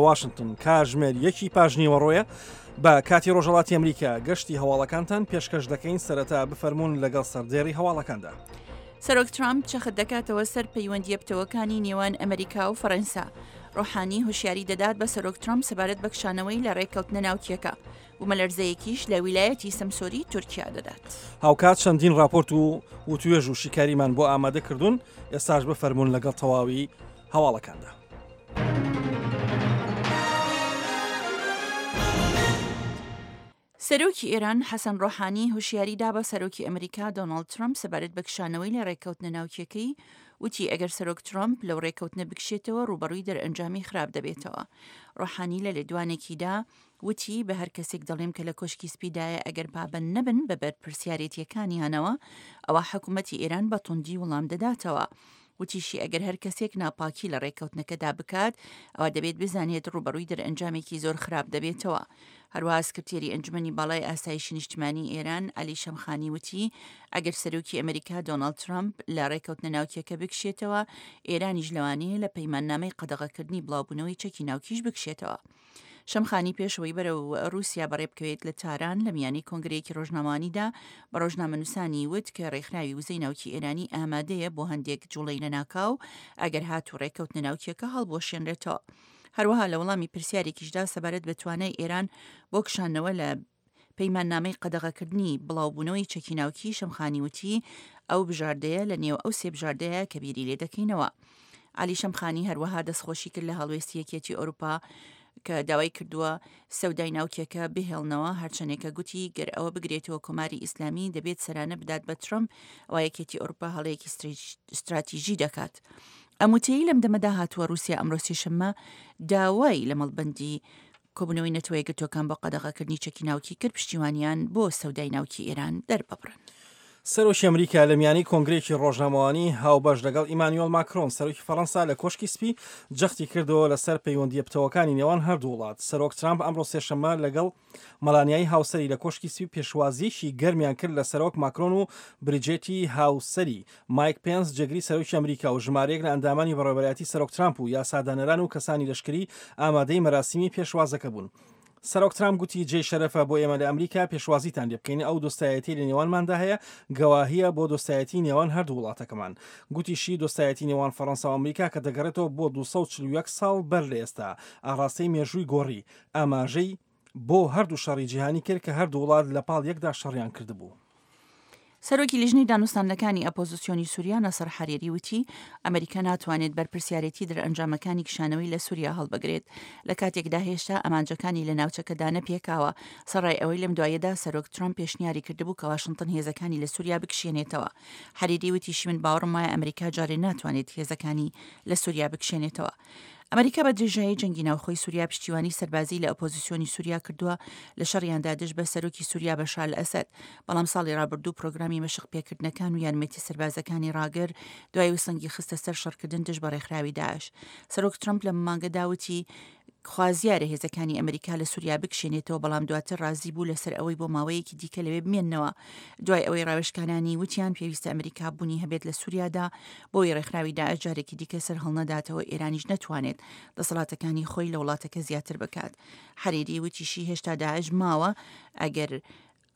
واشنتن کاژمێر یەکی پاش نیوەڕۆیە بە کاتی ڕۆژهەڵاتی ئەمریکا گەشتی هەواڵەکانتان پێشکەش دەکەین سەرەتا بفەرموون لەگەڵ سەردێڕی هەواڵەکاندا. سەرۆک ترامپ چەخت دەکاتەوە سەر پەیوەندییە پتەوەکانی نێوان ئەمریکا و فەرەنسا. ڕۆحانی هۆشیاری دەدات بە سەرۆک ترامپ سەبارەت بە کشانەوەی لە ڕێککەوتنە ناوکییەکە. بومەلەرزەیەکیش لە ویلایەتی سەمسۆری تورکیا دەدات. هاوکات چەندین ڕاپۆرت و وتوێژ و شیکاریمان بۆ ئامادە کردوون، ئێستاش بفەرموون لەگەڵ تەواوی هەواڵەکاندا. سەرۆکی ئێران حەسەن ڕۆحانی هۆشیاری دا بە سەرۆکی ئەمریکا دۆناڵد ترەمپ سەبارەت بە کشانەوەی لە ڕێککەوتنە ناوکییەکەی، وتی ئەگەر سەرۆک ترەمپ لەو ڕێککەوتنە بکشێتەوە ڕووبەڕووی دەرئەنجامی خراپ دەبێتەوە. ڕۆحانی لە لێدوانێکیدا وتی، بە هەر کەسێک دەڵێم کە لە کۆشکی سپیدایە ئەگەر پابەند نەبن بە بەرپرسیارێتییەکانیانەوە، ئەوا حکومەتی ئێران بە توندی وڵام دەداتەوە. وتیشی، ئەگەر هەر کەسێک ناپاکی لە ڕێککەوتنەکەدا بکات، ئەوا دەبێت بزانێت ڕووبەڕووی دەرئەنجامێکی زۆر خراپ دەبێتەوە. هەروەها سکرتێری ئەنجومەنی باڵای ئاسایشی نیشتمانی ئێران، عەلی شەمخانی وتی، ئەگەر سەرۆکی ئەمریکا دۆناڵد ترەمپ لە ڕێککەوتنە ناوکییەکە بکشێتەوە، ئێرانیش لەوانەیە لە پەیماننامەی قەدەغەکردنی بڵاوبوونەوەی چەکی ناوکیش بکشێتەوە. شەمخانی پێش ئەوەی بەرەو رووسیا بەڕێبکەوێت لە تاران لە میانەی کۆنگرەیەکی رۆژنامەوانیدا بە رۆژنامەنووسانی وت کە رێکخراوی وزەی ناوکی ئێرانی ئامادەیە بۆ هەندێک جوڵەی لەناکاو ئەگەر هاتوو رێککەوتنە ناوکییەکە هەڵبوەشێنرێتەوە. هەروەها لە وەڵامی پرسیارێکیشدا سەبارەت بە توانای ئێران بۆ کشانەوە لە پەیماننامەی قەدەغەکردنی بڵاوبوونەوەی چەکی ناوکی، شەمخانی وتی، ئەو بژاردەیە لە نێو ئەو سێ بژاردەیە کە بیری لێ دەکەینەوە. عەلی شەمخانی هەروەها دەستخۆشی کرد لە هەڵوێستی یەکێتی ئەوروپا کە داوای کردووە سەودای ناوکیەکە بهێڵنەوە، هەرچەندێکە گوتی گەر ئەوە بگرێتەوە کۆماری ئیسلامی دەبێت سەرانە بدات بە ترەمپ، ئەوا یەکێتی ئەوروپا هەڵەیەکی ستراتیژی دەکات. ئەم وتەیەی لەم دەمەدا هاتووە رووسیا ئەمڕۆ سێشەممە داوای لە مەڵبەندی کۆبوونەوەی نەتەوەیەکگرتووەکان بۆ قەدەغەکردنی چەکی ناوکی کرد پشتیوانیان بۆ سەودای ناوکی ئێران دەرببڕن. سەرۆکی ئەمریکا لە میانەی کۆنگرەیەکی ڕۆژنامەوانی هاوبەش لەگەڵ ئیمانیۆل ماکرۆن سەرۆکی فەڕەنسا لە کۆشکی سپی جەختی کردەوە لەسەر پەیوەندییە پتەوەکانی نێوان هەردوو وڵات. سەرۆک ترامپ ئەمڕۆ سێشەممە لەگەڵ مەلانیای هاوسەری لە کۆشکی سپی پێشوازییەکی گەرمیان کرد لە سەرۆک ماکرۆن و بریجێتی هاوسەری مایک پێنس جێگری سەرۆکی ئەمریکا و ژمارەیەک لە ئەندامانی بەڕێوەبەرایەتی سەرۆک ترامپ و یاسادانەران و کەسانی لەشکری ئامادەی مەراسیمی پێشوازەکە بوون. سەرۆک ترامپ گوتی جێی شەرەفە بۆ ئێمە لە ئەمریکا پێشوازیتان لێ بکەین، ئەو دۆستایەتیەی لە نێوانماندا هەیە گەواهیە بۆ دۆستایەتی نێوان هەردوو وڵاتەکەمان. گوتیشی دۆستایەتی نێوان فەڕەنسا و ئەمریکا کە دەگەڕێتەوە بۆ 241 ساڵ بەر لە ئێستا ئاڕاستەی مێژووی گۆڕی، ئاماژەی بۆ هەردوو شەڕی جیهانی کرد کە هەردوو وڵات لە پاڵ یەکدا شەڕیان کردبوو. سەرۆکی لیژنەی دانوستاندنەکانی ئەپۆزسیۆنی سوریا نەسڕ حەریری وتی، ئەمریکا ناتوانێت بەرپرسیارێتی دەرئەنجامەکانی کشانەوەی لە سوریا هەڵبگرێت، لە کاتێکدا هێشتا ئامانجەکانی لە ناوچەکەدا نەپێکاوە، سەڕای ئەوەی لەم دواییەدا سەرۆک ترەمپ پێشنیاری کردبوو کە واشنتن هێزەکانی لە سوریا بکشێنێتەوە. حەریری وتیشی من باوەڕم وایە ئەمریکا جارێ ناتوانێت هێزەکانی لە سوریا بکشێنێتەوە. ئەمریکا بە درێژایی جەنگی ناوخۆی سوریا پشتیوانی سەربازی لە ئۆپۆزیسیۆنی سوریا کردووە لە شەڕیاندا دژ بە سەرۆکی سوریا بەشار ئەسەد، بەڵام ساڵی ڕابردوو پرۆگرامی مەشق پێکردنەکان و یارمەتی سەربازەکانی ڕاگرت دوای ئەوەی سەنگی خستە سەر شەڕکردن دژ بە ڕێکخراوی داعش. سەرۆک ترەمپ لەم مانگەدا وتی خوازیارە هێزەکانی ئەمریکا لە سوریا بکشێنێتەوە، بەڵام دواتر ڕازی بوو لەسەر ئەوەی بۆ ماوەیەکی دیکە لەوێ بمێننەوە دوای ئەوەی ڕاوێژکارانی وتیان پێویستە ئەمریکا بوونی هەبێت لە سوریادا بۆی ڕێکخراوی داعش جارێکی دیکە سەر هەڵنەداتەوە ئێرانیش نەتوانێت دەسەڵاتەکانی خۆی لە وڵاتەکە زیاتر بکات. حەریری وتیشی هێشتا داعش ماوە ئەگەر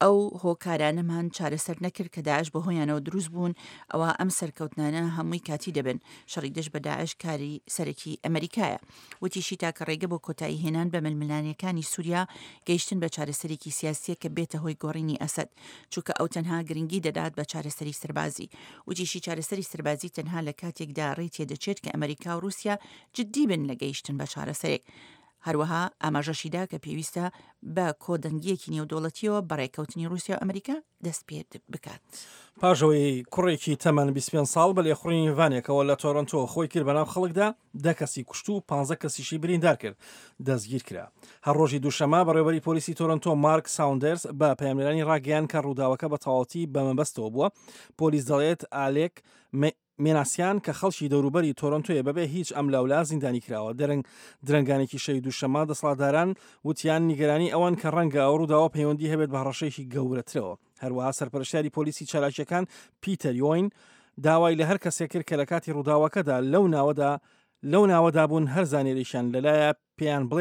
ئەو هۆکارانەمان چارەسەر نەکرد کە داعش بەهۆیانەوە دروست بوون ئەوا ئەم سەرکەوتنانە هەمووی کاتی دەبن، شەڕی دژ بە داعش کاری سەرەکی ئەمەریکایە. وتیشی تاکە ڕێگە بۆ کۆتایی هێنان بە ململانێکانی سوریا گەیشتن بە چارەسەرێکی سیاسیە کە بێتە هۆی گۆڕینی ئەسەد، چونکە ئەو تەنها گرنگی دەدات بە چارەسەری سەربازی. وتیشی چارەسەری سەربازی تەنها لە کاتێکدا ڕێی تێدەچێت کە ئەمەریکا و ڕوسیا جدی بن لە گەیشتن بە چارەسەرێک. هەروەها ئاماژەشی دا کە پێویستە بە کۆدەنگییەکی نێودەوڵەتییەوە بە ڕێککەوتنی ڕووسیا و ئەمریکا دەست پێ بکات. پاش ئەوەی کوڕێکی تەمەن 25 ساڵ بە لێخوڕینی ڤانێکەوە لە تۆرۆنتۆ خۆی کرد بەناو خەڵکدا، دە کەسی کوشت و پانزە کەسیشی بریندار کرد، دەستگیر کرا. هەر ڕۆژی دووشەممە بەڕێوەبەری پۆلیسی تۆرۆنتۆ مارک ساوندەرز بە پەیامنێرانی ڕاگەیاند کە ڕووداوەکە بە تەواوەتی بە مەبەستەوە بووە. پۆلیس دەڵێت ئالێک مێناسیان کە خەڵکی دەوروبەری تۆرۆنتۆیە بەبێ هیچ ئەملاولا زیندانی کراوە. دەرنگ درەنگانێکی شەوی دووشەممە دەسەڵاتداران وتیان نیگەرانی ئەوەن کە ڕەنگە ئەو ڕووداوە پەیوەندی هەبێت بە هەڕەشەیەکی گەورەترەوە. هەروەها سەرپەرشتیاری پۆلیسی چالاکییەکان پیتەر یۆین داوای لە هەر کەسێک کرد کە لە کاتی ڕووداوەکەدا لەو ناوەدا لەو ناوەدا بوون هەر زانیارییەکیان لەلایە. پێیان بڵێ.